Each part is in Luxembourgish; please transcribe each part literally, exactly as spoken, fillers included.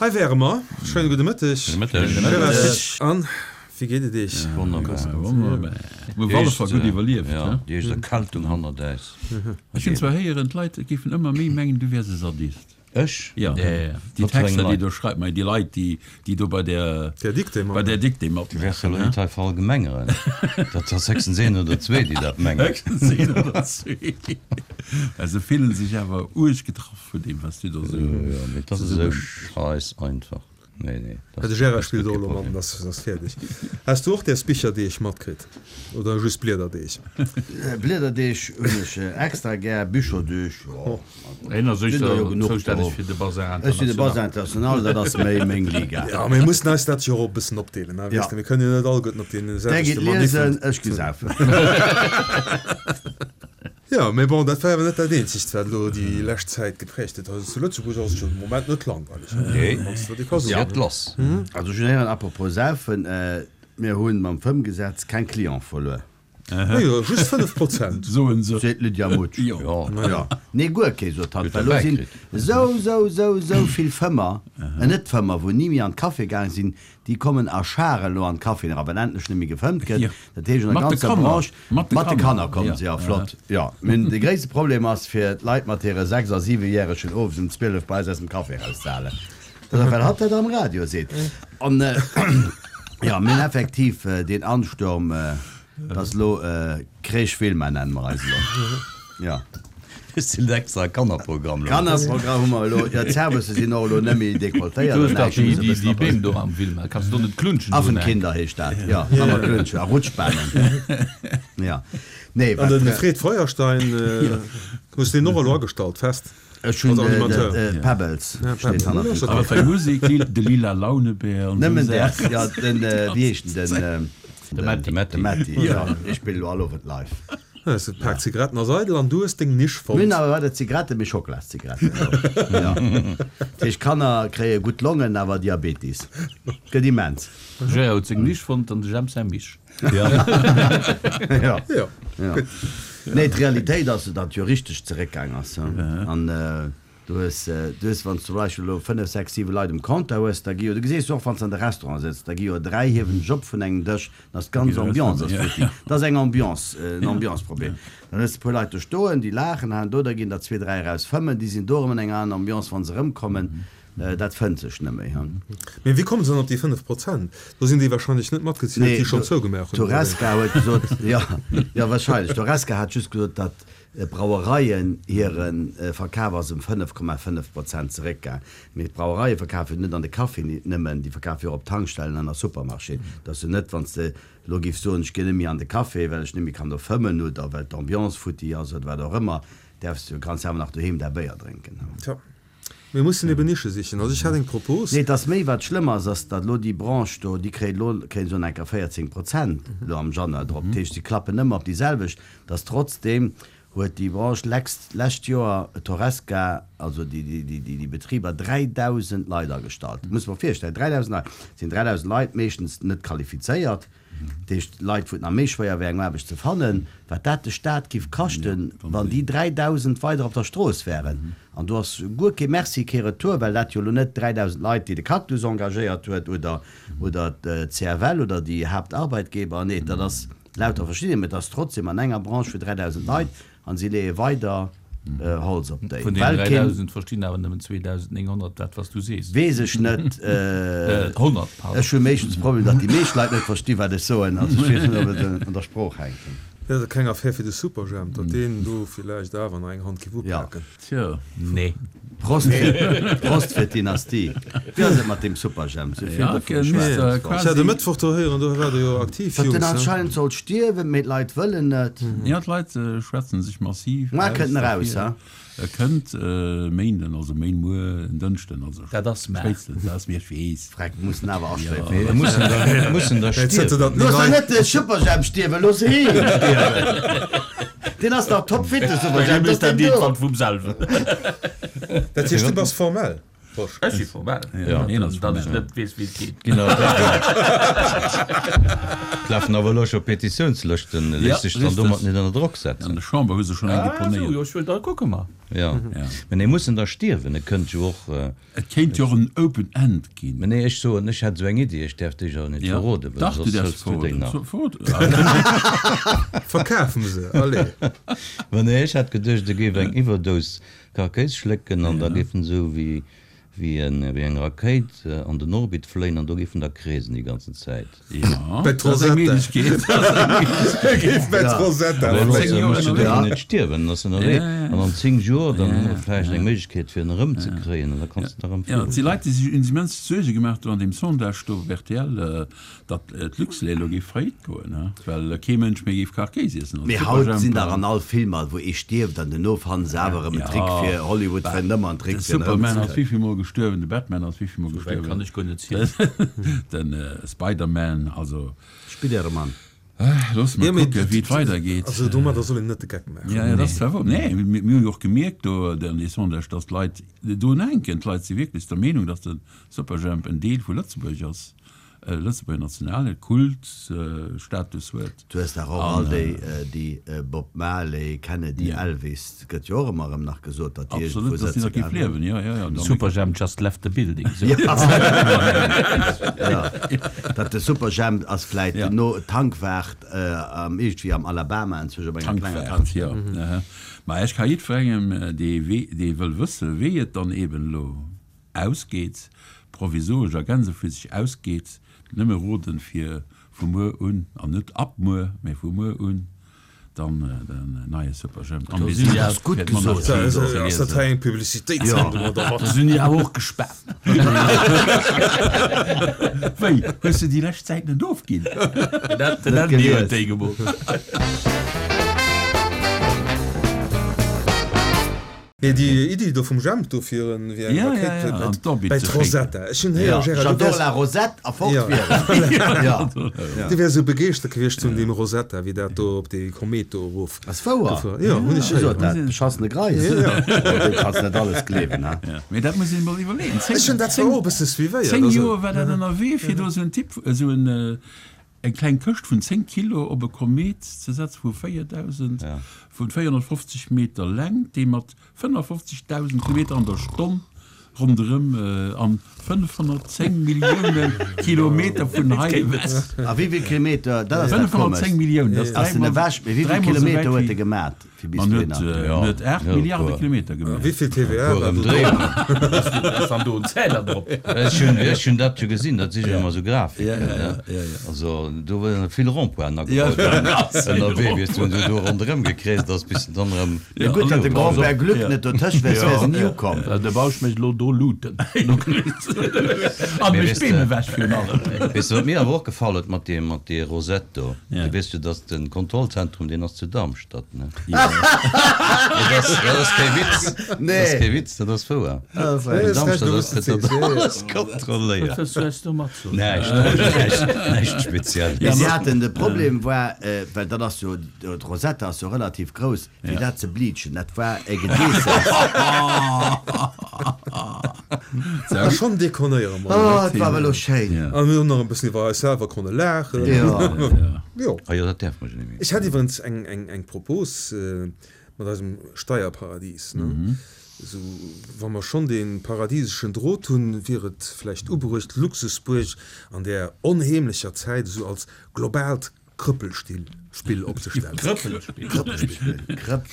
Hei wäre mer. Schéine gudde Mëtteg. Gudde Mëtteg. An wéi geet et Iech? Wonnerbar. Wonnerbar. Mir hu alle Fall gutt iwwerlieft, Ja, he? déi éischt Erkältung hannert äis. Ech hunn zwar héieren, d'Leit géifen ëmmer méi mengen, du wäers e Sadist. Ech? Ja, déi Wat fir eng Texter, déi Leit? do schreift, mei déi Leit, déi, déi do bei der, Der Dictée bei der matmaachen. Dictée Du wäers jo matmaachen, elo he? net hei verallgemengeren. Dat ass héchstens een oder zwee, déi dat mengen. Héchstens een oder zwee. Well se fillen sech awer uerg getraff vun deem, wat s du do sou Jo, mee dat ass esou zesumme. scheiss einfach. Nee, nee, De dat Gérard ass spillt guer och kee elo mat, Problem. an ass fäerdeg. Has du och däers Bicherdeeg matkritt? Oder just Bliederdeeg? Bliederdeeg hunn ech extra gär, Bücherdeeg, jo, Hien ass sinn der jo éischter genuch zoustänneg do. fir de Bazar Ech sinn de Bazar International. International, dat ass méi meng Liga. Jo, mir mussen eis dat jo och e bëssen opdeelen, ne? Ja. Weess de, mir kënnen jo net alleguerten op deene Där selwechte geet Maniffen liesen, ech gi saufen. Jo, mee bon, dat war awer net dat eenzegt, wat elo déi lescht Zäit geprägt huet. Also zu Lëtzebuerg ass et jo de Moment net langweileg, Nee, wann s de dat ka et soen. geet lass. Also ech hunn héieren, apropos saufen, mir hu mam Fëmmgesetz keng Cliente verluer. Jo, just fënnef Prozent. Soen se. Seet d'Lydia Mutsch. Jo. Jo. Nee, guer kee, sot hatt, Huet well elo derbäi sinn kritt. esou, esou, esou, esou vill Fëmmer, Net-Fëmmer, wou ni méi an d'Café gaang sinn, déi kommen a Scharen elo an d'Caféen era, well endlech net méi gefëmmt gëtt. Jo. Dat heescht, an der Mat de ganzer Kanner. Branche, Mat de mat de Kanner. Kanner kommen Ja. se, ja, flott. Jo. Mee de gréisste Problem ass, fir d'Leit mat hire sechs a siwejäregen owes um zwielef bei eis aus dem Café erauszehalen. Dat ass, well hatt dat am Radio seet. An, jo, mir hunn effektiv deen Ansturm, dat ass elo Crèche Wilma nennen mer eis elo. Jo. Ech sinn extra Kannerprogramm elo. Kannerprogramm hu mer elo. Jo, d'Servicë sinn och elo net méi dekolletéiert Du an hues dach näischt, hu déi, se e déi, bëssen déi op Beem do am Wilma. Kanns du do net klunschen do un Eck? Affenkinder heescht dat, jo. Wa mer klunschen a Rutschbanen. Jo. Nee, An wat. de Fred Feuerstein, hues deen och elo agestallt, fest? Ech hunn Als Animateur. Pebbles Ja, steet Pebbles. hannert Ja, dem ass Awer okay. fir Musek, de Lila Launebär an esou Nëmmen däers, Saachen. jo, den, wéi heescht en, den. De Matti. De Matti. De Matti, jo. Ech spillen elo all Owend live. Ja, de Pak Zigaretten ass eidel an du hues deng Nisch Mir hunn fonnt. awer net Zigaretten, mee Schocklaszigaretten. Jo. Dat heescht, d'Kanner kréie gutt Longen, awer Diabetis. Gëtt immens. De Gérard huet seng Nisch fonnt an de Jemp säi Misch. Jo. Jo, Jo. gutt. Nee, d'Realitéit ass, datt jo richteg zeréckgaang ass. An du hues, du hues, wann s du zum Beispill elo fënnef, sechs, siwe Leit um Compteur hues, da gi jo, du geséis jo och, wann s de an de Restaurant sëtz, da gi jo dräi hiewen sech op vun engem Dësch, dann ass d'ganz Ambiance ass futti. Dat ass eng Ambiance, en Ambiance-Problem. Dann hues de e puer Leit do stoen, déi laachen, haen do, da ginn der zwee, dräi eraus fëmmen, déi sinn do erëm an enger aner Ambiance, wa se erëmkommen. Dat fënnt sech net méi. Mee wéi komme se dann op déi fënnef Prozent? Do sinn déi wahrscheinlech net matgezielt, Nee, déi schonn zougemaach hunn, oder wéi? D'Horesca huet gesot, jo, jo, wahrscheinlech. D'Horesca hat just gesot, datt d'Brauereien hire Verkaf ass ëm fënnef Komma fënnef Prozent zeréckgaang. Mee d'Brauereie verkafen jo net an de Caféen nëmmen, déi verkafe jo och op Tankstellen an a Supermarchéen. Et ass jo net, wann s de elo giffs soen, ech ginn net méi an de Café, well ech net méi kann do fëmmen oder well d'Ambiance futti ass oder wat och ëmmer, däerfs du, kanns awer nach doheem däi Béier drénken. Tja, mir mussen eben Nische sichen. Also ech hat eng Propos. Nee, et ass méi, wat schlëmm ass, ass, datt elo déi Branche do, déi kréit elo, kréien se elo nach eng Kéier véierzéng Prozent elo am Januar drop. Dat heescht, si klappen ëmmer op déi selwecht. Datt trotzdeem huet déi Branche lex-, lescht Joer d'Horesca, also déi, déi, déi, déi Betriber, dräidausend Leit agestallt. Muss mer virstellen, dräidausend Leit. Et sinn dräidausend Leit, meeschtens net qualifizéiert. Dat heescht, Leit, wou et nach méi schwéier wär, eng Aarbecht ze fannen, wat dat de Staat giff kaschten, wann déi dräidausend weider op der Strooss wären. An do ass guer kee Merci, kee Retour, well dat jo elo net dräidausend Leit, déi de Cactus engagéiert huet oder oder d'C F L oder déi Haaptarbeitgeber. Nee, dat ass lauter verschidden, mä et ass trotzdem an enger Branche fir dräidausend Leit a si leeë weider Holz op déi. Vun deenen dräidausend verstinn awer nëmmen zweedausendnénghonnert dat, wat s du sees. Weess ech net. Honnert, pardon. Ech hu meeschtens de Problem, datt déi meescht Leit net versti wat ech soen. Also ech weess net, ob et un der Sprooch hänkt. Wär dat keng Affär fir de Superjhemp, datt deen do villäicht awer nach eng Hand giff upaken? Tjo. Nee. Prost fir, Prost fir d'Dynastie. Wéi ass et mat deem Superjhemp? Sou vill dovun geschwat. Ech hat e Mëttwoch do héieren, do waart Der jo aktiv, Datt Jungs, en ne? anscheinend soll stierwen, mee d'Leit wëllen net. Jo, d'Leit schwätzen sech massiv Mar aus kënnt en eraus, derfir. ha? E kënnt e Méinden, also méin muer en Dënschden, also Dat ass mar. spéitstens, dat ass mir, ech weess. Freck, mussen awer astréiwen. Mee et mussen der, et mussen der stierwen. Looss der net de Superjhemp stierwen, looss heen stierwen. Deen ass dach topfit, de Superjhemp, Dee dass mécht dat deen do. iergendwann vum selwen. Dat heescht, du bass formell? Ech si formell. Ja. Een ass Datt ech formell. net weess, wéi et geet. Ginn awer Lafen awer elo scho Petitiounslëschten, Ja, léisst sech dann richtig. domat net ënner Drock An setzen. der Chamber hu se schonn eng Ah, sou, deponéiert. jo, ech wëll da kucke mer. Ja. Ja. Mä nee, mussen da stierwen, et kënnt jo och. Äh, Et kéint jo och en Open End ginn. Mä nee, ech soen, ech hätt esou eng Iddi, ech däerf déi jo net Ja. verroden, well Dach, du soss däerfs hëls du déi verroden. nach. So- verroden. Verkafen se, allez. Mä nee, ech hätt geduecht, e géif eng Iwwerdous Karkéis schlécken an da géif en esou wéi wéi en wéi eng Rakéit an den Orbit fléien an do géif en da kreesen déi ganzen Zäit. Ja, Bei dat ass eng d'Rosetta. Méiglechkeet. Dat ass eng Méiglechkeet. Géif bei Ja. d'Rosetta Awer zéng elo Joer muss du ënnerwee. dofir net stierwen, ass ënnerwee. Ja, ja, ja. An an zéng Joer, dann Ja, hu mer ja, vläicht ja. eng Méiglechkeet fir en erëmzekréien an da kanns du da erëm Ja, et si fliegen. Leit, déi sech immens Suerge gemaach hunn an deem Sondage do op R T L, datt d'Luxlait elo géif faillite goen, ne? Well kee Mënsch méi géif Karkéis iessen. Also Mee haut sinn Superjhemp, der an all Filmer, wou ee stierft an duerno fannen se awer erëm en Ja. Trick fir Hollywood fënnt ëmmer en Trick De fir en Superman ass erëmzekréien. wéi vill Mol gestuerwen, de Batman ass wéi vill Mol Sou wäit kann gestuerwen, ech guer net zielen. den äh, Spider-Man, also Spiderman. loosse mer Ja, mee kucken, wéi et weidergeet. Also domadder soll een net de Geck maachen. Ja, ja, dat ass zwar wouer. Nee, mir, mir hu jo och gemierkt do an dee Sondage, datt d'Leit do enken, d'Leit si wierklech der Meenung, datt de Superjhemp en Deel vu Lëtzebuerg ass, äh, Lëtzebuerger nationale Kult, äh, Status huet. Du hues dach och An, all déi, äh, déi äh, Bob Marley, Kennedy, Ja. Elvis, gëtt jo och ëmmer erëm nach gesot, datt déi Absolut, iergendwou datt déi sëtze nach géif gehabt liewen, ja, ja, ja. Dann- Superjhemp just left the building. Sou. Ja. Ja. Dat de Superjhemp ass vläit Ja. no Tankwart äh, am iergendwéi am Alabama inzwischen op enger klenger Tankwart, Tankstell. ja. Aha. Ma ech ka jiddwerengem, äh, dee wee, dee wëll wësse wéi et dann eben elo ausgeet, provisoresch a gänseflüsseg ausgeet, nëmme roden fir vu muer un, an net ab muer, mä vu muer un, dann äh, den neie Superjhemp. An Do wir sinn sinn ja ass gutt fir gesot. d'Monarchie Also, ze ass dat liesen. hei eng Publicitéitssendung oder Da wat? sinn déi awer och gespaant. Wéi, hues du déi lescht Zäit net ofginn? Dat Net dat mir huet gelies. déi gemoolt. Nee, déi Iddi do vum Jhemp do fir en wéi eng Ja, ja, Rakéit ja, bei- an d'Orbit bei ze d'Rosetta. Ech hunn héieren, Ja. Gérard, du J'adore wärs- la Rosette a fort Ja. wieren. Ja. Du wärs sou begeeschtert gewiescht vun deem Rosetta, wéi dat do op dee Komet do erof. Ass wouer. Gefuer. Ja, hunn ech Wéi sot héieren. dat? Beschassene Greis. Ja, ja. Du kanns net alles gleewen, ne? Ja. Mee dat muss een mol iwwerleeën. Zéng, Ech hunn dat zwar och e bësse suivéiert, zéng also- Joer war dat ënnerwee, fir do esou en Typ, esou en, äh, eng kleng Këscht vun zéng Kilo op e Komet ze setzen vu véierdausend, Ja. vun véierhonnertfofzeg Meter Längt, dee mat fënnefofzegdausend Kilometer an der Stonn ronderëm äh, an fënnefhonnertzéng Millioune Kilometer vun hei ewech. A wéi vill Kilometer, dat ass dat fënnefhonnertzéng Komescht. Milliounen, dat ass Ass den dräimol, ewech, mee wéi vill dräimol esou Kilometer wäit huet e wéi gemat fir bis Man huet, dohinner? äh, Ja, huet aacht ja, Milliarde puer. Kilometer gemaach. Wéi vill T V A Puer war do Ëmdréiungen. Ass dann do en Zähler drop? Ech hunn, ech hunn dat jo gesinn, dat si jo ëmmer sou Grafiken, Ja, ja, ne? ja, ja, ja. Also do waren vill Rond-pointen Ja, agebaut. ganz vill Ënnerwee, wéi s du do ronderëm gekreest ass, bis du dann erëm Ja, gutt, datt de Grand-Père Glück Ja. net dotëscht wär, wär se ni ukomm. De Bausch mécht elo do Luten. An Mee mech weess de- Beem ewech virun allem. Weess du, wat mir awer och gefall huet mat deem, mat deem Rosette do? Ja. Du weess jo, datt den Kontrollzentrum, deen ass zu Darmstadt, ne? Ja. Dat ass, dat ass kee Witz. Dat ass Nee. kee Witz, dat ass wouer. Nee, In ass recht, Darmstadt du ass wësst gëtt dat es, ja, ja. alles kontrolléiert. Was wëlls du mat soen? Näischt, näischt, näischt speziell. Mee si haten de Problem war, äh, well dat ass jo, d'Rosetta ass jo relativ grouss, fir Ja. dat ze bleachen, dat war e Gedeesses. A schonn dekonéiere mer. Oh, et war awer elo schéin. Ja. A mir hunn nach e bëssen iwwer eis selwer konne laachen. Ja. Ja. Jo. Ah jo, dat däerf mer jo net méi. Ech hätt iwwerens eng, eng, eng Propos äh, mat eisem Steierparadies. Ne? Mhm. Sou, wa mer schonn dee paradieseschen Drot hunn, wier et vläicht ubruecht, Luxusbuerg an der onheemlecher Zäit esou als globaalt Krëppelstill Spill opzestellen. Krëppelspill. Krëppelspill.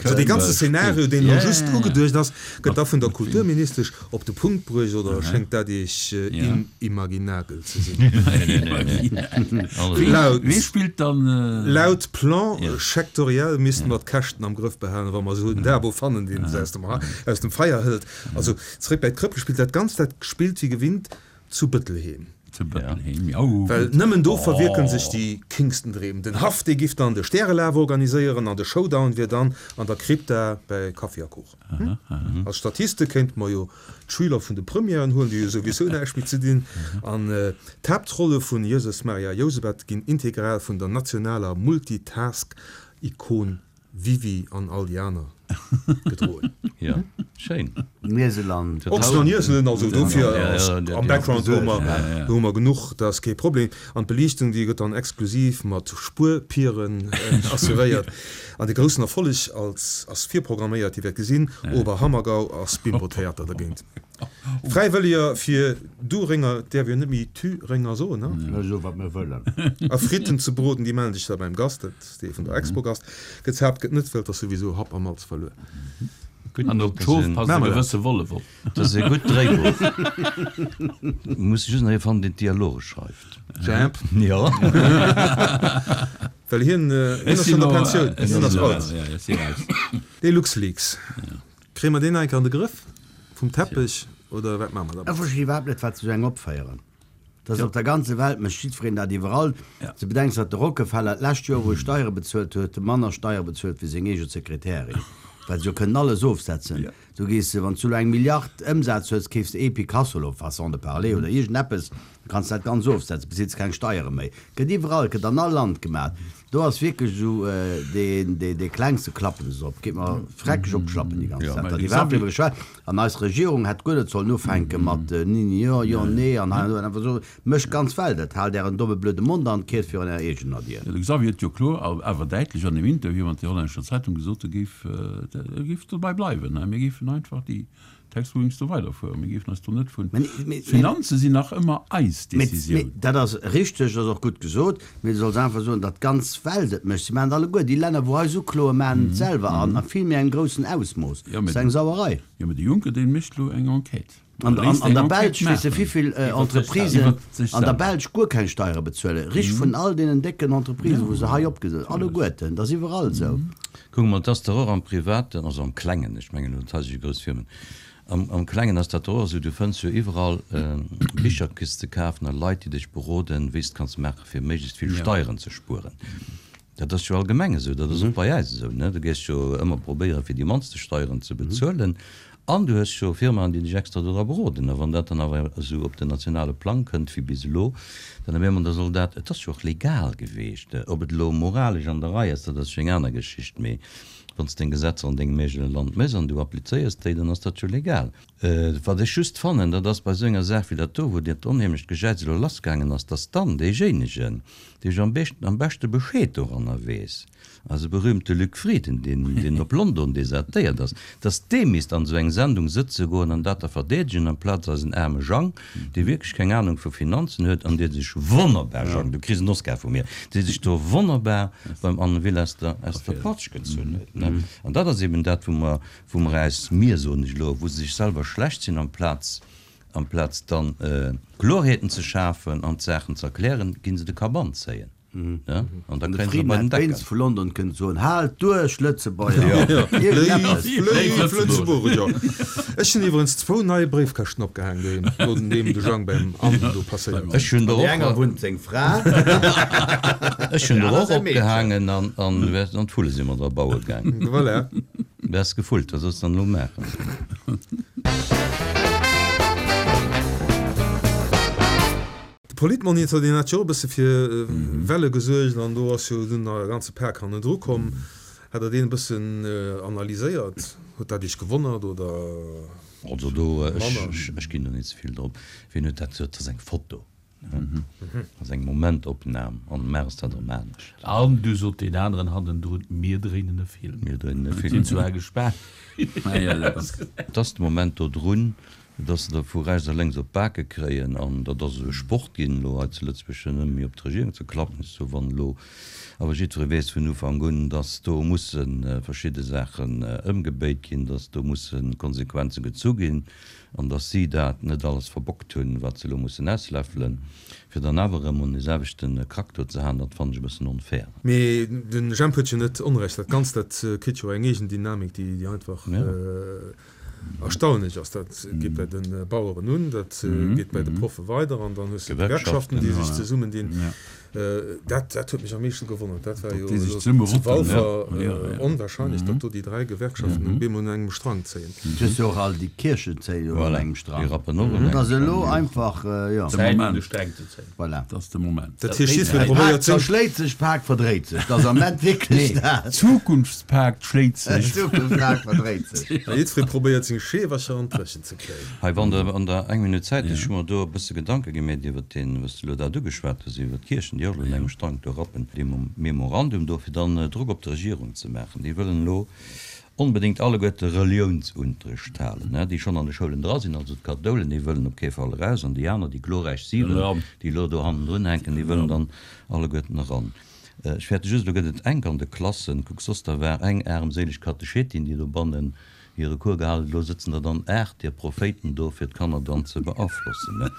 Also dee ganze Szenario, deen elo Ja, just ja, ja. ugeduecht ass, gëtt da vun der Kulturministesch op de Punkt bruecht oder schéngt dat Iech Ja. inimaginabel ze sinn? Nee, nee, nee, nee. Also, Laut, Wie spillt dann äh, laut Plan Ja. sektoriell misste mer d'Käschten am Grëff behalen, wa mer esou en Dabo fannen, deen se aus dem, aus dem Feier hëlt. Also zeréck bei d'Krëppelspill, dat Ganzt, dat spillt wéi gewinnt zu Bëttelheem. Zu Bëttelheem, ja. Oh, Well nëmmen do verwierken sech déi kingsten Dreem. Den Haff, dee giff dann de Stärelaf organiséieren an de Showdown wier dann an der Krypta bei Kaffi a Kuch. Aha, aha. Als Statiste kéinte mer jo d'Schüler vun de Premièren huelen, déi jo souwisou näischt méi ze dinn. An d'Haaptrolle vun Jesus, Maria, Josebet ginn integral vun der nationaler Multitask-Ikon Wiwi an all déi aner gedroen. Jo, schéin. Nieseland. Ochsen an Ieselen, also dofir ass am Background hu mer, do hu mer genuch, dat ass kee Problem. An d'Beliichtung, déi gëtt dann exklusiv mat Spuerpieren assuréiert. An de groussen Erfolleg als ass virprogramméiert, Dir wäert gesinn, Oberhammergau ass Bimbo-Theater dergéint. Fräiwëlleger fir Durénger, däerf jo net méi Thürénger soen, ne? Mir soe wat mir wëllen. A Fritten ze broden, déi mellen sech da beim Gast, dat ass dee vun der Expogast. Gezaapt gëtt net, well 't ass souwisou Happ a Malz verluer. An op d'Schof passt e gewësse Wollef op. Dat ass e gutt Dréibuch. Muss just nach ee fannen, deen d'Dialoge schreift. Jemp. Jo. Well hien, hien ass schonn an der Pensioun, hien ass alt. Dee LuxLeaks. Kréie mer deen nach eng Kéier an de Grëff? Vum Teppech oder wat maache mer Ech dermat? verstinn iwwerhaapt net, wat se esou eng opféieren. Dat ass op der ganze Welt, mécht jiddwereen dat iwwerall. Ze bedenken, datt de Rockefeller d'lescht Joer, wou e Steiere bezuelt huet, manner Steiere bezuelt wéi seng eege Sekretärin, well se jo kënnen alles ofsetzen. Du gees, wann s du elo eng Milliard Ëmsaz hues, keefs de ee Picasso elo, façon de parler, oder iergendeppes, da kanns de dat ganz ofsetzen, bezills keng Steiere méi. Gëtt iwwerall, gëtt an all Land gemaat. Do ass wierklech esou deen, dee klengste klappen se op. Geet mer freckeg op d'Schlappen déi ganz Zäit, datt iwwerhaapt driwwer geschwat. An eis Regierung hätt guer net sollen ufänke mat ni, jo, jo, nee an hei an do. An einfach soen, Mécht d'ganz Welt et, haalt ären domme blöde Mond an kiert virun ärer eegener Dier. De Xavier huet jo kloer awer däitlech an dem Interview mat der hollännescher Zeitung gesot, e géif, e géif dobäi bleiwen, mir géifen einfach déi Tax rulings do weiderfueren. Mir géifen eis do net vun. D'Finanze sinn nach ëmmer eis Decisioun. Dat ass richteg, dat ass och gutt gesot. Mee du solls einfach soen, datt d'ganz Welt et mécht. Si maachen et alleguer. Déi Länner, wou eis ukloen, maachen et selwer an a vill méi engem groussen Ausmooss. Dat ass eng Sauerei. Jo, mee de Juncker, dee mécht elo eng Enquête. An der Belsch, weess de wivill Entreprisen an der Belsch guer keng Steiere bezuelen? Richt vun all deenen décken Entreprisen, wou se hei opgesat sinn, alleguerten. Dat ass iwwerall esou. Kuck mol, et ass dach och am Privaten, also am Klengen, ech mengen elo net hei esou grouss Firmen, am Klengen ass dat dach och esou, du fënns jo iwwerall Bicher kriss ze kafen a Leit, déi dech beroden, wéi s de kanns maache fir méiglechst vill Steieren ze spueren. Dat ass jo allgemeng esou, dat ass och bei äis esou, ne? Du géiss jo ëmmer probéieren, fir déi mannste Steieren ze bezuelen. An du hues jo Firmaen, déi dech extra dodra beroden. A wann dat dann awer esou op den nationale Plang kënnt wéi bis elo, dann op eemol, da soll dat, et ass jo och legal geweecht, ob et elo moralesch an der Rei ass, dat ass jo eng aner Geschicht, mee wann s deng Gesetzer an dengem eegene Land méchs an du applizéiers déi, dann ass dat jo legal. Wat ech just fannen, dat ass bei esou enger Saach wéi dat do, wou dat onheemlecht Gejäiz elo lassgaangen ass, dass dann deejéinegen, dee jo am beschte Bescheed doranner weess, eise berühmte Luc Frieden, deen op London desertéiert ass, dass dee misst an esou eng Sendung sëtze goen an dat da verdeedegen, amplaz eisen aarme Jang, dee wierklech keng Ahnung vu Finanzen huet an dee sech wonnerbar, Jang, du kriss en Oscar vu mir, dee sech do wonnerbar beim Anne Will aus der, aus der Patsch gezunn huet, ne? An dat ass eben dat, wou mer, wou mer äis, mir soen ech elo, wou se sech selwer schlecht sinn, amplaz, amplaz dann Klorheeten ze schafen an d'Saachen ze erklären, ginn se de Kapp anzéien, ne? An da De kréien se Frieden bei den hätt Deckel. wéinst vu London kënnen soen, Haalt duerch, Lëtzebuerger! Léif, léif Lëtzebuerger! Ech hunn iwwerens zwou nei Bréifkëschten opgehaang doheem, nodeem de Jang beim Anne do passéiert Ech ass. hunn der An déi och, enger wunnt seng Fra, ech hunn déi der aner och säi Meedchen. opgehaangen an, an, an d'Vulle si mer dra baue gaang. Voilà. Wärst gefullt, wat solls de dann elo maachen? De Politmonitor, deen hat jo och e bësse fir Welle gesuergt an do ass jo dunn nach e ganze Pak hannendru komm. Hat Der deen e bëssen analyséiert? Huet dat Iech gewonnert oder Also do, manner? ech ginn do net ze vill drop. Wien huet dat gesot? Dat ass eng Foto. Ass eng Momentopnam an maach s dat erëm anescht. An du sot deen aneren hannendrun, Mir dréinen e Film. Mir dréinen e Sinn Film. zwar gespaant. Et ass de Moment do drun, dass se der vu rechts a lénks op d'Bake kréien an dat ass esou e Sport ginn elo hei zu Lëtzebuerg, fir nëmme méi op d'Regierung ze klappen. Sou wann elo awer jiddweree weess vun Ufank un, dass do musse verschidde Saachen ëmgebéit ginn, dass do musse Konsequenze gezu ginn, an dass si dat net alles verbockt hunn, wat se elo mussen ausläffelen, fir dann awer erëm un dee selwechte Krack do ze haen, dat fannen ech e bëssen onfair. Mee de Jemp huet jo net Onrecht, dat Ganzt, dat kritt jo eng eegen Dynamik, déi einfach erstaunlech ass. Dat geet bei de Baueren un, dat geet bei de Proffe weider an dann hues de d'Gewerkschaften, déi sech zesummendinn. Dat, dat huet mech am meeschten gewonnert. Dat war jo zu Walfer onwahrscheinlech, datt do déi dräi Gewerkschaften op eemol un engem Strang zéien. Et hues jo och all déi Kierchen zéien jo un engem Strang. Déi rappen och un engem Strang. Dat ass elo einfach, jo. Zäit un de Sträng ze zéien. Voilà. Dat ass de Moment. Dat heescht, jiddweree probéiert seng. D'Pak zerschléit sech, d'Pak verdréit sech. Dat ass am Moment wierklech dat. Nee, d'Zukunftspak schléit sech. D'Zukunftspak verdréit sech. Jiddweree probéiert seng Scheewercher an d'Dréchen ze kréien. Hei, wann Der an der eng Minutt Zäit hutt, ech hu mer do e bësse Gedanke gemeet iwwert deen, wat s de elo dat ugeschwat hues, iwwert d'Kierchen. Déi och elo un engem Strang do rappen, dee Memorandum do, fir dann Drock op d'Regierung ze maachen. Déi wëllen elo onbedéngt alleguerte Reliounsunterricht halen, déi schonn an de Schoulen dra sinn, also d'Kathoulen, déi wëllen op kee Fall eraus, an déi aner, déi glorräich Siwen, déi elo do hannendrun hänken, déi wëllen dann alleguerten eran. Ech fäerte just, elo gëtt et enk an de Klassen. Kuck, soss da war eng aarmséileg Katechetin, déi dobannen hire Cours gehalen huet, elo sëtzen der dann aacht där Prophéiten do, fir d'Kanner dann ze beaflossen.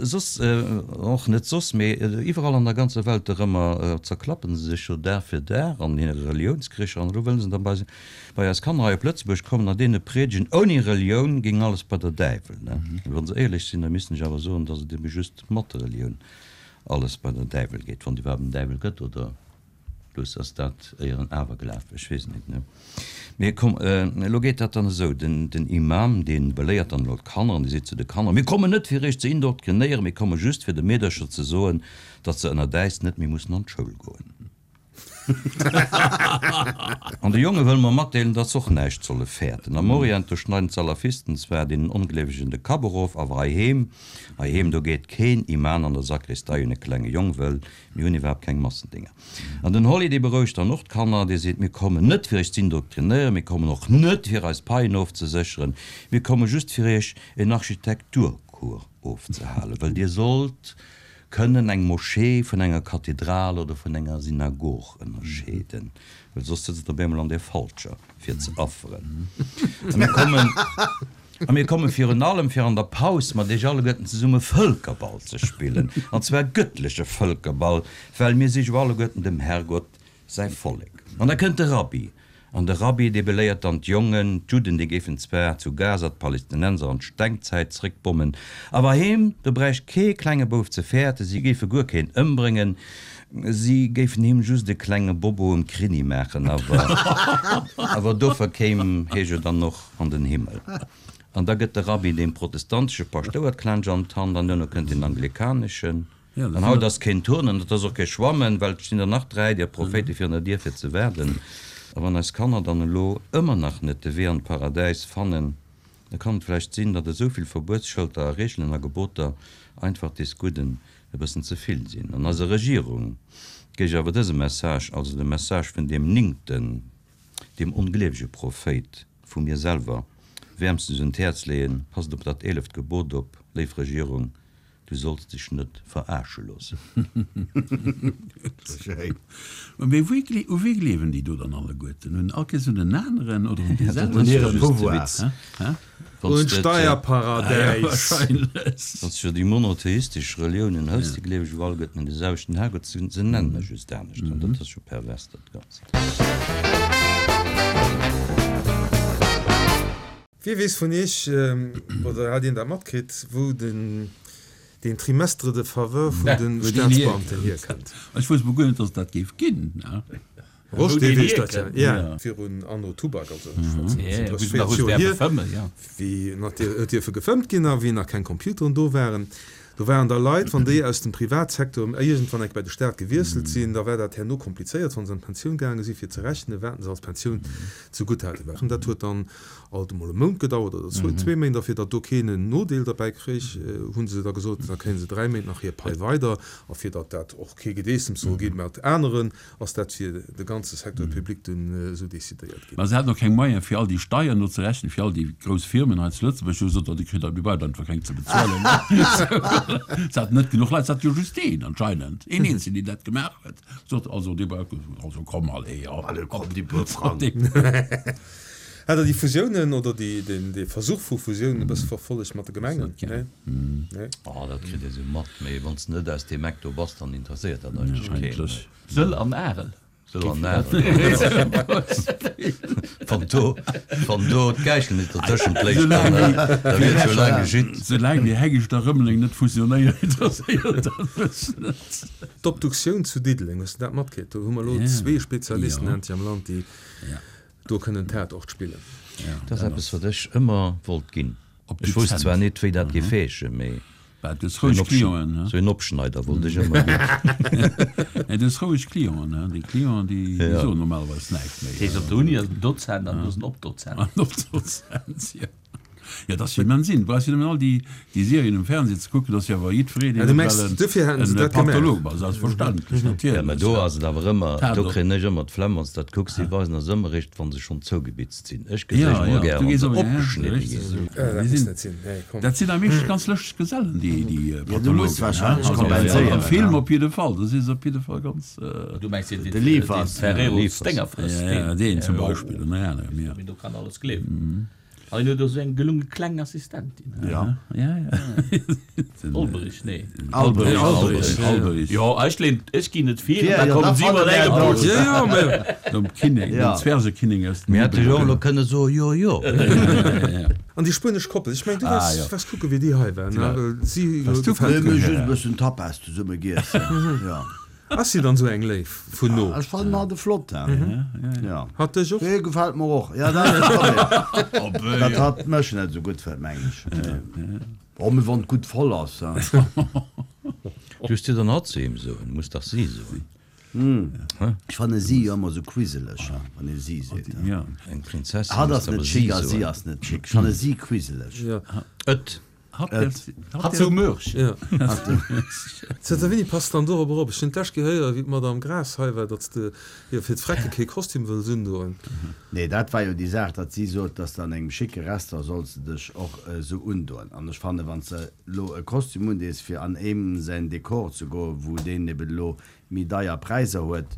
Soss, och net soss, mee iwwerall an der ganzer Welt erëmmer zerklappen se sech jo Dag fir Dag an hire Reliounskricher. An elo wëllen se da bei bei eis Kanner hei op Lëtzebuerg kommen a deene priedegen, ouni Relioun géing alles bei der Däiwel. Wa se éierlech sinn, da missten ech awer soen, datt et ebe just mat der Relioun alles bei der Däiwel geet, wann et iwwerhaapt en Däiwel gëtt, oder? Plus ass dat éier en Awerglaf, ech weess net, ne? Mee komm, elo geet dat dann esou, den, den Imam, dee beléiert dann elo d'Kanner an dee seet zu de Kanner, Mir kommen net fir iech ze indoktrinéieren, mir komme just fir de Meedercher ze soen, datt se ënner äis net méi mussen an d'Schoul goen. An de Jonge wëlle mer matdeelen, datt se och näischt solle fäerten. Am Orient, do schneiden d'Salafisten zwar deenen Ongleewegen de Kapp erof, awer heiheem, heiheem, do geet keen Iman an der Sakristei un e klenge Jong, wëll mir hunn iwwerhaapt keng Massendinger. An den Holly, dee berouegt dann och d'Kanner, dee seet, Mir kommen net fir iech z'indoktrinéieren, mir kommen och net fir eis Paien ofzesécheren, mir komme just fir iech en Architekturcours ofzehalen, wëll dir sollt kënnen eng Moschee vun enger Kathedral oder vun enger Synagog ënnerscheeden, well soss sëtzt der op eemol an där falscher fir ze afferen. A mir kommen, a mir komme virun allem fir an der Paus mat iech alleguerten zesumme Vëlkerball ze spillen, an zwar gëttleche Vëlkerball, well mir si jo alleguerten dem Herrgott säi Vollek. An da kënnt de Rabbi, An de Rabbi, dee beléiert dann d'Jongen, d'Judden, déi géifen zwar zu Gaza d'Palestinenser an d'Stengzäit zréckbommen, awer heem, do bräicht kee klenge Bouf ze fäerten, si géife guer keen ëmbréngen, si géifen him just e klenge Bobo um Krinni maachen, awer awer dofir kéim hie jo dann och an den Himmel. An da gëtt de Rabbi deem protestantesche Paschtouer d'Klensch an d'Hand, an duerno kënnt deen anglikaneschen. An haut ass keen Turnen, et ass och kee Schwammen, well et stinn der nach dräi där Prophéite virun der Dier fir ze waarden. A wann eis Kanner dann elo ëmmer nach net de Wee an d'Paradäis fannen, da kann et vläicht sinn, datt esou vill Verbuetsschëlter a Reegelen a Geboter einfach des Gudden e bëssen ze vill sinn. An eiser Regierung géif ech awer dëse Message, also de Message vun deem néngten, deem ongleewege Prophéit, vu mir selwer wäermstens un d'Häerz leeën, Passt op dat eeleft Gebot op, léif Regierung, Du solls dech net veraarsche loossen. Mee wéi u wee gleewen déi do dann alleguerten? Un all Kees un en aneren oder un dee selwechten? Dat ass just de Witz. Un d'Steierparadäis. Wann s de jo déi monotheistesch Reliounen hëls, déi gleewe jo alleguerten un de selwechten Herrgott, se nennen e just anescht. An dat ass jo pervers, dat Ganzt. Wie weess vun iech, oder hat een dat matkritt, wou den deen Trimestre de faveur vun de Staatsbeamten hierkënnt? Ech wousst mol guer net, dass et dat géif ginn. Rosch, dee weess dat jo. Jo, virun Anno Tubak, also ech schwätzen vun drësseg, véierzeg Joer hier, wéi nach huet dierfe gefëmmt ginn a wéi nach keng Computeren do waren. Do waren da Leit, wann déi aus dem Privatsecteur iergendwann eng Kéier bei de Staat gewiesselt sinn, da war dat herno komplizéiert, wa se an d'Pensioun gaange sinn, fir ze rechnen, wat se als Pensioun zegutt haten. Dat huet dann alt emol e Mount gedauert oder zwee Méint, a fir datt do keen en Nodeel derbäi kréich, hu se da gesot, da kréie se dräi Méint nach hir Pai weider. A fir datt dat och kee Gedeessems soll gi mat aneren, ass dat fir de ganze Secteur public dunn esou decidéiert ginn. Mä se haten och keng Moyen, fir all déi Steiern do ze rechnen, fir all déi grouss Firmen hei zu Lëtzebuerg. Hu gesot, oh, déi kritt der, déi braucht einfach keng ze bezuelen. Se haten net genuch Leit, se haten jo just een anscheinend, een eenzegen, deen dat gemaach huet. Gesot, also dee brauch, also komm, allez, ja. Allez, komm, déi puer Frang. Hat Der déi Fusiounen oder déi, deen, dee Versuch vu Fusiounen e bësse verfollegt mat de Gemengen? Nee? Nee? Oh, dat kritt ee sou mat, mee wann s de net aus deem Eck do bass, dann interesséiert dat eigentlech keen. Sëll an Arel. Sou an Wann do, wann do d'Gäichel net dertëschent léich, dann da wier et scho laang geschitt. Soulaang wéi Heggescht a Rëmeleng net fusionéieren, interesséiert dat mech net. D'Obduktioun zu Diddeleng, hues de dat matkritt? Do hu mer elo zwee Spezialisten endlech am Land, déi do kënnen Tatort spillen. Dat ass eppes, wat ech ëmmer wollt ginn. Ech wousst zwar net, wéi dat géif heeschen, mee. Sou een Opschneider wollt ech ëmmer ginn. Nee, du hues roueg Clienten, hein. Déi Clienten, déi soen normalerweis näischt méi. Dat heescht, op der Uni ass en Dozent an do ass en Opdozent. En Opdozent, jo. Jo, dat ass jo immens in. Du brauchs jo nëmmen all déi Serien um Fernseh ze kucken, dat ass jo awer jiddwereen, deen ewell e Patholog ass, selbstverständlech, natierlech. Jo, mä do ass et awer ëmmer, do kréien ech ëmmer d'Flemm, wann s de dat kucks, déi weisen eis ëmmer eréischt, wa se schonn zougebitzt sinn. Ech geséich emol gär, wa se opgeschnidde ginn. Dat sinn am meeschtens ganz lëschteg Gesellen, déi Pathologen. Am Film op jidde Fall, do si se op jidde Fall ganz. Du mengs deen, deen Ferrero d'Dénger frësst? Jo, deen zum Beispill, ënner anerem, jo. Mee do kann alles gleewen. An hien huet och esou eng gelunge kleng Assistentin. Ja, ja, ja. Olberich, nee. Alberich, Alberich, Alberich. Jo, ech leen, ech ginn et vir, an da kommen si mat engem Bus. Jo, jo, mä. Nom Kinnek, nom Zwergekinnek aus dem. Mir hätte jo och elo kënne soen, jo, jo. An déi spuenesch Koppel, ech mengen, du waars, waars kucke wéi déi hei war, ne? Si gefält mir. Mir hu just e bëssen Tapas zesumme giess, jo. Ass si dann sou eng Léif vun no? Ech fannen hatt e flott, jo. Hatt dech och? Hie gefält mer och, jo. Dat ass de Problem, datt hatt mech net esou gutt fënnt, mengen ech. Oh, mee wann et gutt voll ass, hein. Du hues dir dann hatt zu him soen, muss dach si soen. Ech fanne si jo ëmmer esou quiseleg, hein, wann ee si seet. Eng Prinzessin Hatt muss ass net awer si chic a si soen. ass net chic. Ech fanne si quiseleg. Et. Hat sou mürch. Zënter wéini passt dann dorobber op? Ech hunn d'lescht Kéier héieren, wéi d'Madame Graas hei war, datt se jo fir d'Frecke kee Kostüm wëlls undoen. Nee, dat war jo déi Saach, datt si sot, datt de an engem schicke Restaurant solls de dech och esou undoen. An ech fannen, wann s de elo e Kostüm undees, fir an eem säin Dekor ze goen, wou deen eben elo méi deier Präisser huet,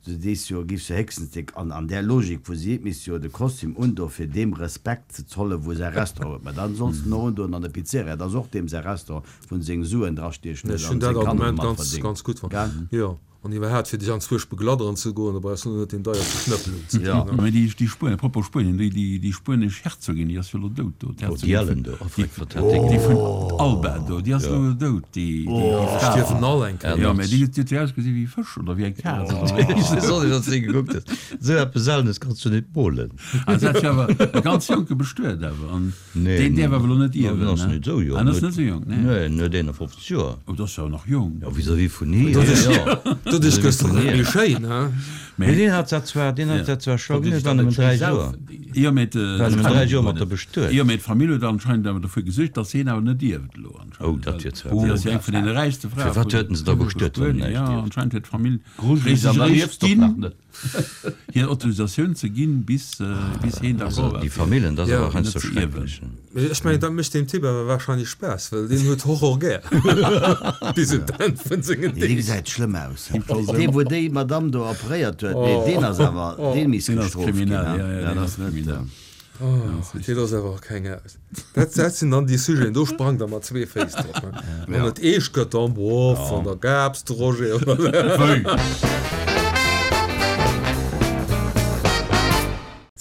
Du sees jo, giff se héchstens de, an an där Logik wou si et misst jo de Kostüm undoen fir deem Respekt ze zollen wou säi Restaurant huet, mä dann solls de en och undoen an der Pizzeria, et ass och deem säi Restaurant wou en seng Suen drastiechen huet an Ech hunn dat seng Kanner Argument domat ganz, verdéngt, ganz gutt fonnt. gell? Jo, an iwwerhaapt fir dech anzwuesch begladderen ze goen, da brauchs du net deen deierste Schnëppel unzedoen. Mä déi, déi Spuenier, propos Spuenien, déi, déi, déi spuenesch Herzogin, déi ass jo elo dout do, Oh, déi d'Herzogin Ellen vun, do, oh, déi, Freck, wat hat déi déi vun gemaach? Alba do, déi ass elo dout, déi, déi, déi Déi Fra. stierwen all eng Kéier. Jo, mä déi huet, déi huet jo ausgesi wéi e Fësch oder wéi eng Kaz oder wéi. Ech weess och net, wat s de gekuckt hues. Esou eppes Seltenes kanns du net molen. Ah, se hat jo awer e ganz Jonke bestuet awer, an Nee, deen däerf awer elo net en ierwen, ass ne? net esou jonk. Ah, en ass net esou jonk, nee. Nee, en huet eenafofzeg Joer. Oh, dat ass jo nach jonk. Jo, vis-à-vis vun hir, jo. Doduerch gëss de nach méi schéin, he? Mee deen hat dat zwar, deen hat dat zwar schlau gemaach, et war nëmmen dräi Joer. Jo, mee Et war nëmmen dräi Joer mat der bestuet. Jo, mee d'Famill huet anscheinend awer dofir gesuergt, datt hien awer net ierft elo anscheinend. Oh, dat wier zwar Si blöd. ass jo eng vun deene räichste Frae Firwat huet en se da bestuet, vu wann en Spuenien. näischt Jo, ierft? anscheinend huet d'Famill Grujeleg, an dann réischt ierfs de och ginn. nach net. Hir Autorisatioun ze ginn, bis bis heen Also d'accord war déi fir Famillen, dat ass Ja. awer heiansdo net ze ierwen. schrecklech. Mee ech mengen, dat mécht deem Typ awer wahrscheinlech Spaass, well deen huet Horror gär bis un d'Enn vun sengen Nee, dee Deeg. gesäit schlëmm aus. Dee wou déi Madame do operéiert huet, nee deen ass awer, deen misst Deen ass gestrooft ginn, kriminell, hein. ja, ja, Dat deen ass ass net. kriminell. Oh, dee ass awer och keng aus. Dat, dat sinn dann déi Sujeten, do sprangt der mat zwee Féiss drop, hein. Wann et eescht gëtt, dann, boah, van der Gabs, de Roger, oder? Wéi?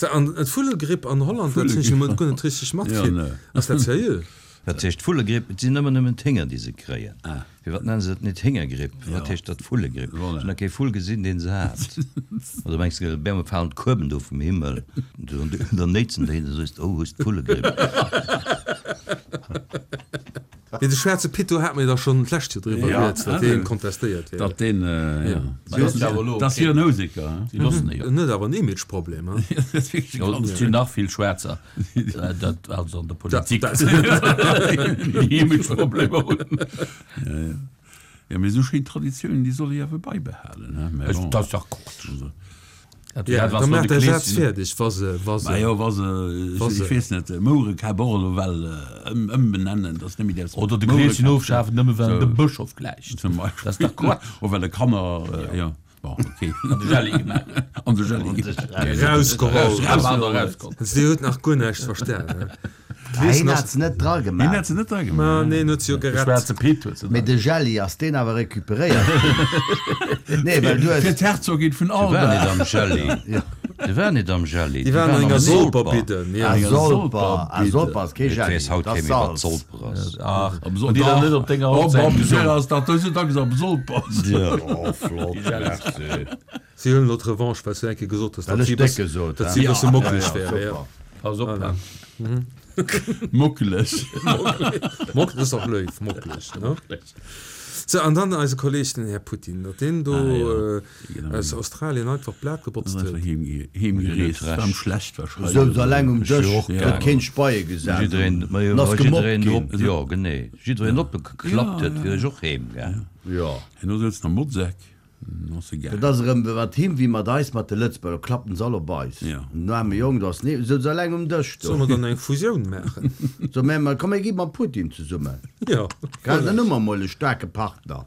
So, an d'Vullegripp an Holland, dat hunn ech emol guer net richteg Ja, matkritt. ne. Ass dat seriö? Wat heescht Vullegripp? Et sinn ëmmer nëmmen d'Hénger, déi se kréien. Firwat nennen se et net Héngergripp? Firwat heescht dat Vullegripp? Ech hunn nach kee Vull gesinn, deen se hat. Oder mengs de, op eemol falen d'Kueben do vum Himmel, dann néitsen déi, da soos de, oh, hues d'Vullegripp. Mee de schwaarze Pit, do hate mir da schonn d'lescht Joer driwwer rieds, datt dee kontestéiert wier. Datt deen, jo. Dat ass jo en Houseker, hein? Si loossen e jo. En huet awer en Imageproblem, hein? Jo, et sinn nach vill Schwaarzer, dat also an der Politik, déi Imageproblemer hunn. Jo, mee esou schéin Traditiounen, déi soll ee awer baibehalen, hein? Mä bon. Dat ass dach Quatsch. Ja, da maach däi Saz fäerdeg, wa se, wa se. Majo, wa se, ech weess net, Mouerekap och elo well ëmbenennen, dass net méi däerfs. Oder de Kleeschen ofschafen, nëmme well en dem Bëschof gläicht. Zum Beispill. Dat ass dach Quatsch. Oder well e Kanner, jo, bon, okay. An de Jelli gemaach huet. An de Jelli gemaach huet. Erausgeholl. Erausgeholl. Dir hutt nach guer näischt verstanen. Hien hat se net dra Hien gemaach. hat se net dra Ma gemaach. nee, en huet se jo De gerett. schwaarze Pit huet se Mee dra de Jelli, ass deen awer recuperéiert ginn? Nee, well du Fir hues. d'Herzogin vun Déi waren Alba. net am Jelli. Déi waren net am Jelli. Déi Déi waren an waren enger am Solper. Solperbidden, Ah, ja. Solper. Ah, Solper ass kee Et Jelli, weess haut dat kee ass méi, wat Salz. Solper ass. Ach, Am an déi dann net op denger Oh, Hochzäit bon, gesungen. ass dat dëse Dag am Solper. Ja. Oh, flott, merci. Si huelen elo d'Revanche, well s du eng Kéier gesot hues, Well datt ech si e déck bëssen, gesot, datt hein? si e bësse Ja, mockeleg ja, wäre, ja. super. Pass op, Voilà. Mockeleg. Mock, dat ass och léif, mockeleg, ne? So, an dann eise Kolleg, den Här Putin, datt deen do Ah, ja. äh, Genau. aus Australien einfach d'Blat gebotzt Ass einfach huet. heemge- heemgereest. Huet net War am recht. schlecht wahrscheinlech. Souz alleng um Ech jo Dësch, och huet gaangen. keen Speie gesat. Jiddereen, ma jo, Ass wa gemobbt jiddereen ginn. op, jo, genee. Jiddereen opgeklappt Ja, huet, ja. wier ech och heemgaang. Ja. En do souz am Motzeck. Ass egal. Dat ass erëm mat him wéi mat eis mat de Lëtzebuerger, klappen se all op eis. Ja. Den aarme Jong, do ass nee, souz alleng um Dësch do. Solle mer dann eng Fusioun maachen? So, mä mer, komm, mir gi mam Putin zesummen. Ja. Gell, dann hu mer mol e staarke Partner.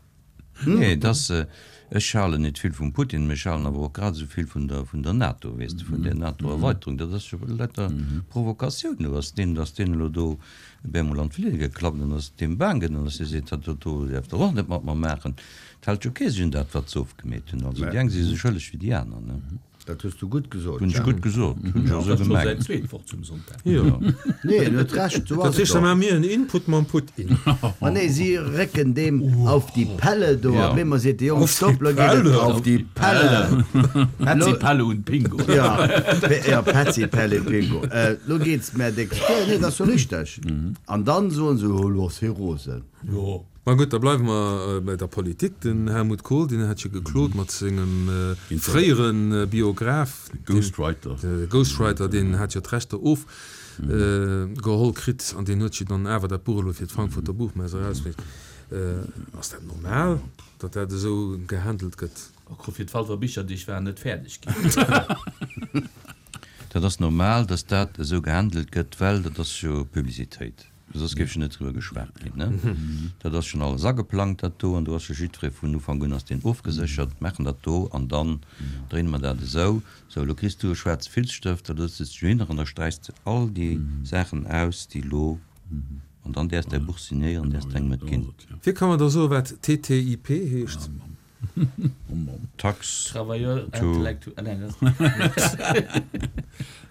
Nee, das, äh, ech halen net vill vum Putin, mee ech halen awer och grad esou vill vun der, vun der NATO, weess de, vun der NATO-Erweiterung. Dat ass jo lauter Provokatioun, do ass deen, dass deen elo do op eemol an d'Fliger geklappt an ass deem baang ginn an dass hie seet, dat do, do däerft Der och net mat mer maachen. Et hält jo kee sech un dat, wat se ofgemeet hunn. Also déi eng si sou schëlleg wéi déi aner, ne? Dat hues du gutt gesot, Hunn ech Jean. gutt gesot, hunn ech och Dat esou ass scho säin gemengt. zweet Wort zum Sonntag. Jo. Nee, en huet Recht, sou Dat ass et heescht, da och. maache mir en Input mam Putin. Ma nee, si récken deem auf die Pelle do, Ja. a bemol seet de Jong, Auf die stopp, lo geet et Pelle. auf die Pelle. Petzi, Lo- Pelle und Pingo. Ja, Pe- ja, Petzi, Pelle, Pingo. Äh, lo geht's mer déck. Ja, nee, dat ass jo richteg. An dann soen se, oh, lo ass hie rosen. Jo. Ma gutt, da bleiwe mer bei der Politik. Den Helmut Kohl, deen hat jo geklot mat sengem äh, fréieren äh, Biograf, den, Ghostwriter. de Ghostwriter, deen hat jo d'Rechter of äh, geholl kritt an deen huet jo dann awer dat Buch elo fir d'Frankfurter Buchmesse erausbréngt. Äh, ass dat normal, datt dat esou gehandelt gëtt? Och fir d'Walfer Bicherdeeg waren net fäerdeg ginn. Dat ass normal, datt dat esou gehandelt gëtt, well dat ass jo Publicitéit. Soss géif jo net driwwer geschwat ginn, ne? Dat ass schonn alles ageplangt, dat do, an do ass jo jiddweree vun Ufank un ass deen ofgeséchert, maachen dat do an dann dréine mer dat esou. Sou, elo kriss du e schwaarze Filzstëft, da sëtz du hinner an da sträichs de all déi Saachen aus, déi elo, an dann däerfs däi Buch signéieren, däerfs d'engem et ginn. Wie kann mer da soen, wat T T I P heescht? Tax Travailleur to intellectuel. Nein, das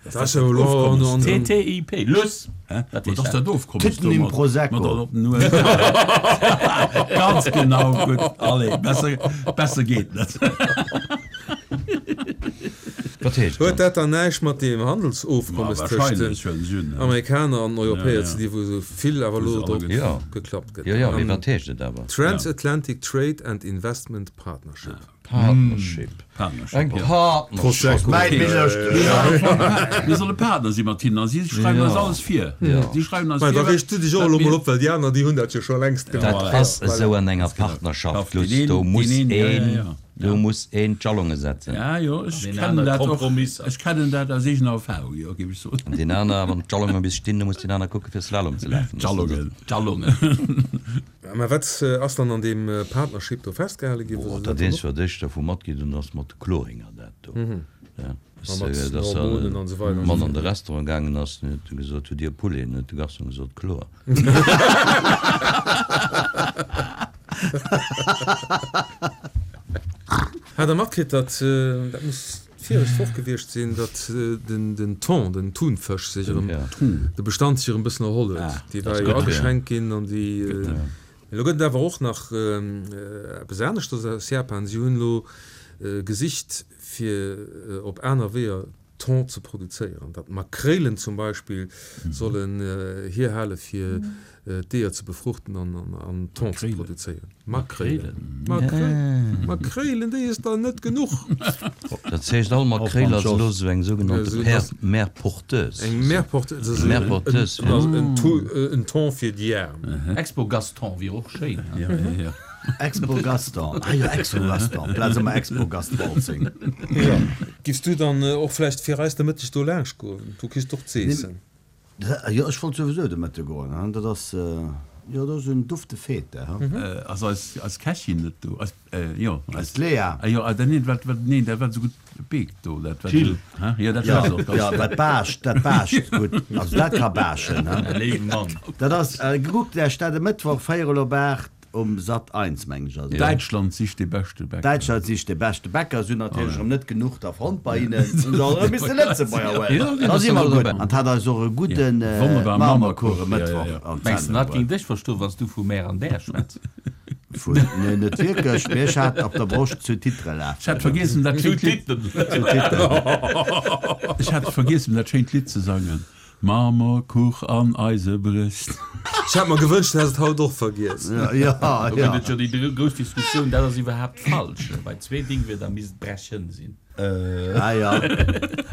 Dat ass jo elo an- an- T T I P. Luss! Hä? Wat Wat heescht ass dat? dat Ofkommes Titten im domat? Prosecco. Mat op den U S Ganz genau, gutt. Allez, besser, besser geet net. Wat heescht Huet dat? dat dann näischt mat deem Handelsofkommes Ma tëscht den wahrscheinlech, well se hunn, Amerikaner an Europäer Ja, ja. ze dinn, wou esou vill awer Wou elo se alle drop ge- Ja. geklappt gëtt? Ja, ja, mee An wat heescht et awer? Transatlantic Trade and Investment Partnership. Partnership. Partnership, Eng ja. Partnerschaft. Prosecco. Mäin Minister. Mir solle Partner si mat hinnen a si schreiwen Ja. eis alles vir. Ja. Si schreiwen eis Mä da vir, reegst du dech och wat elo mir- mol op, well déi aner, déi hunn dat jo scho längst Dat gemaach. ass Voilà. esou an enger Ganz genau. Partnerschaft, Deen Lutz, een, do muss deen een, ja, ja, een, ja. do Ja. muss een d'Jalonge setzen. Ja, jo, ech Deen kennen aner dat och. Kompromisser. Ech kennen dat aus eegener Erfahrung, jo, géif ech soen. An deen aner, wann d'Jalonge bis stinn, da muss deen aner kucke fir Slalom ze lafen. D'Jalongen. D'Jalongen. Mä wat ass dann an deem Partnership do festgehale ginn? Oh, dat eenzegt, wat ech dervu matginn hunn, ass mat de Chloringer dat do. Ja. A mat Dass, dass Hormonen an esou weider an Mann esou an de Restaurant gaangen ass, en huet gesot, hutt Dir Poulet? En huet de Garçon gesot, Chlor. Hat Der matkritt, datt, dat muss d'viregt Woch gewiescht sinn, datt den, den Thon, den Thunfësch sech erëm, Ja. de Bestand sech erëm e bëssen erholl huet. Ah, Déi dat war ass jo gutt, ja. ageschränkt ginn an déi, Gutt, ja. Elo gëtt et awer och nach eppes aneschters aus Japan. Si hunn elo gesicht, fir op aner Weeër Thon ze produzéieren. Datt Makréilen zum Beispill sollen hierhale fir d'Eeër ze befruchten an an Thon ze produzéieren. Makréilen. Makréilen. Makréilen, déi is der net genuch. Dat heescht, all Makréil ass elo sou eng sougenannte Ja, Mère porteuse. Eng Mère porteuse, dat ass Mère porteuse, en, en, en Thon fir déi Aarm. Expo Gaston wier och schéin. Ja, ja, ja. Expo Gaston. Ah jo, Expo Gaston. Plaz ëmmer Expo Gastwalzing. Ja. Giffs du dann och vläicht fir eis de Mëtteg do laanscht goen? Du kriss doch z'eessen. Jo, ech wollt souwisou de Mëtte goen, hein. Dat ass, Jo, do ass en dufte Fete, ha? Ass eis, eis Kächin net do? Eis, jo, eis Lea. Ah jo, ah, neen, wat, wat, neen, dat wat esou gutt beekt do, dat wat Jill. Hä? Jo, dat Ja, war se och. ja, dat baascht, dat baascht gutt. Also dat ka baaschen, ha? Léiwe Mann. Dat ass, gekuckt lech dat e Mëttwoch, véierel op aacht um Sat eins, mengen ech ass et. Däitschland sicht de beschte Bäcker. Däitschland sicht de beschte Bäcker, si hunn natierlech erëm net genuch der fonnt bei hinnen, hunn se och erëm misse Lëtzebuerger huelen. Da si mer gutt. An 't hat eis och e gudde Marmerkuch e Mëttwoch an Mengs de, d'Sendung hatt géing bruet. dech verstoen, wann s du vu Mär an Där schwätz? Vu, nee, net wierklech, mee ech hat op der Broscht zu Titre Ech lafen. hat vergiessen, dat Zu schéint Lidd. Titren. Zu Titren. Ech hat vergiessen, dat schéint Lidd ze sangen. Marmorkuch an eise Brëscht. Ech hat mer gewënscht, du häss et haut och vergiess. Ja, Do ja. gëtt et jo déi grouss Diskussioun, dat ass iwwerhaapt falsch. Bei zwee Dingwierder misst brechen sinn. Ah ja.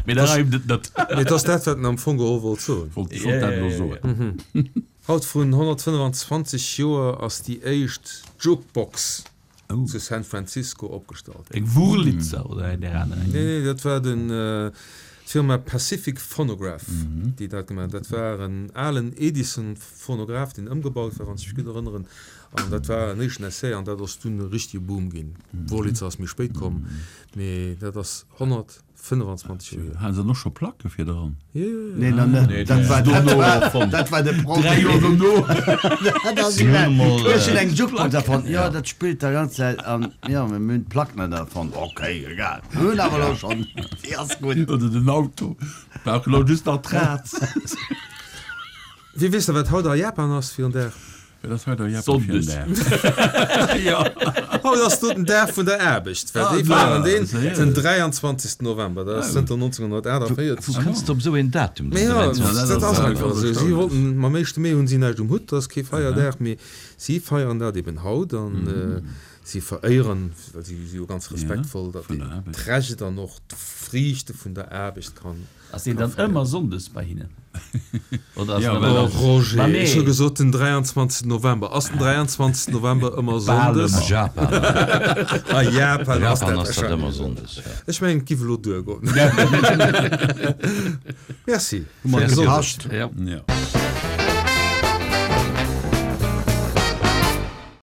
Mee da reimt et net. Mee et ass dat, wat en am Fong geholl wollt soen. Wollt, ech wollt dat elo soen. Haut vrun honnertfënnefenzwanzeg Joer ass déi éischt Jukebox zu San Francisco opgestallt ginn. Eng Wurlitzer oder eng där aner? Nee, nee, dat war den, d'Firma Pacific Phonograph, déi dat gemaach huet. Dat war en alen Edison-Phonograph, deen ëmgebaut war, wann ech mech gutt erënneren. An dat war en éischten Essai an dat ass dunn e richtege Boom ginn. Wurlitzer ass méi spéit komm, mee dat ass honnertfënnefenzwanzeg Joer hier. Hate se dann och scho Placke fir dran? Jo, jo, jo. Nee, nach net. Nee, Dat war, dono dat war, erfonnt. dat war de Dräi Joer Problem. dono. Dat ass Si hunn geil. emol, Ech hunn eng Jukebox erfonnt. Jo, dat spillt der ganz Zäit. An jo, mir hunn d'Plack net erfonnt. Okay, egal. Mir hunn awer elo schonn. Déi ass gutt. Oder den Auto. Brauch elo just nach d'Rad. Wie weess da, wat haut a Japan ass fir en Dag? Wat ass haut a Japan fir en Sonndes. Dag? Jo. Haut ass do den Dag vun der Aarbecht, well déi Ah, feieren deen séier. den dräianzwanzegsten November. Dat ass zënter nonzénghunnertaachtavéierzeg. Wou kënns de op esou een Datum, Mee den jo, dräianzwanzegsten? dat ass einfach esou. Si erstaunlech. wollten, mam éischte Mee hunn si näischt um Hutt, dat ass kee Feierdag, mee si feieren dat eben haut an si veréieren, well si si jo ganz respektvoll, datt vun der een Aarbecht. d'Recht an och d'Friichte vun der Aarbecht kann Ass deen dann ëmmer sonndes bei hinnen? Oder ass Ja, en well ëmmer Oh Roger, Ma nee. ech hu gesot den dräianzwanzegsten November. Ass den dräianzwanzegsten November ëmmer Bal sonndes? A Japan. A Japan ass Japan dat ass dat ëmmer wahrscheinlech. sonndes, ja. Ech mengen, et giff elo duergoen. Merci. Hu mer Merci. gepascht. Ja. Ja.